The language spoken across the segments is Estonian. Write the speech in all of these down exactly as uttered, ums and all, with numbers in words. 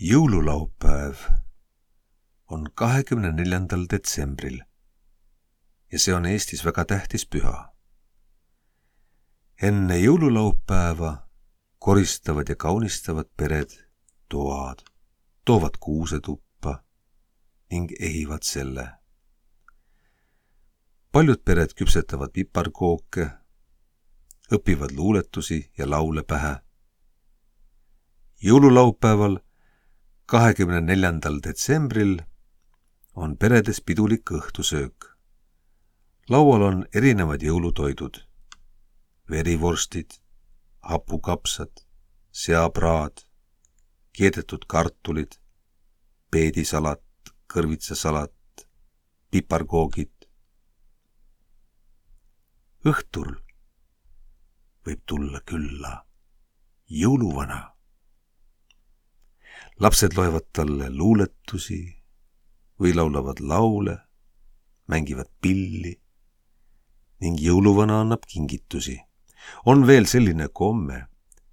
Jõululaupäev on kahekümne neljandal detsembril ja see on Eestis väga tähtis püha. Enne jõululaupäeva koristavad ja kaunistavad pered toad, toovad kuusetuppa ning ehivad selle. Paljud pered küpsetavad piparkooke, õpivad luuletusi ja laule pähe. Jõululaupäeval kahekümne neljandal detsembril on peredes pidulik õhtusöök. Laual on erinevad jõulutoidud, verivorstid, hapukapsad, seapraad, keedetud kartulid, peedisalat, kõrvitsasalat, piparkoogid. Õhtul võib tulla külla jõuluvana. Lapsed loevad talle luuletusi või laulavad laule, mängivad pilli ning jõuluvana annab kingitusi. On veel selline komme,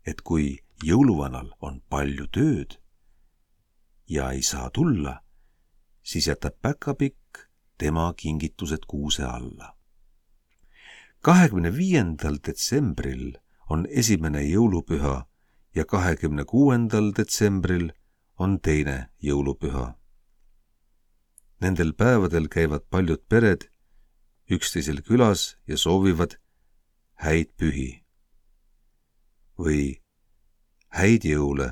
et kui jõuluvanal on palju tööd ja ei saa tulla, siis jätab päkapikk tema kingitused kuuse alla. kahekümne viiendal detsembril on esimene jõulupüha ja kahekümne kuuendal detsembril on teine jõulupüha. Nendel päevadel käivad paljud pered üksteisel külas ja soovivad häid pühi või häid jõule.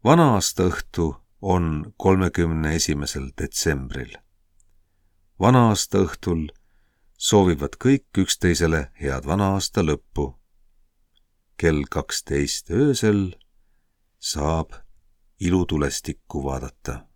Vana-aasta õhtu on kolmekümne esimesel detsembril. Vana-aasta õhtul soovivad kõik üksteisele head vana-aasta lõppu. Kell kaksteist öösel saab ilutulestikku vaadata.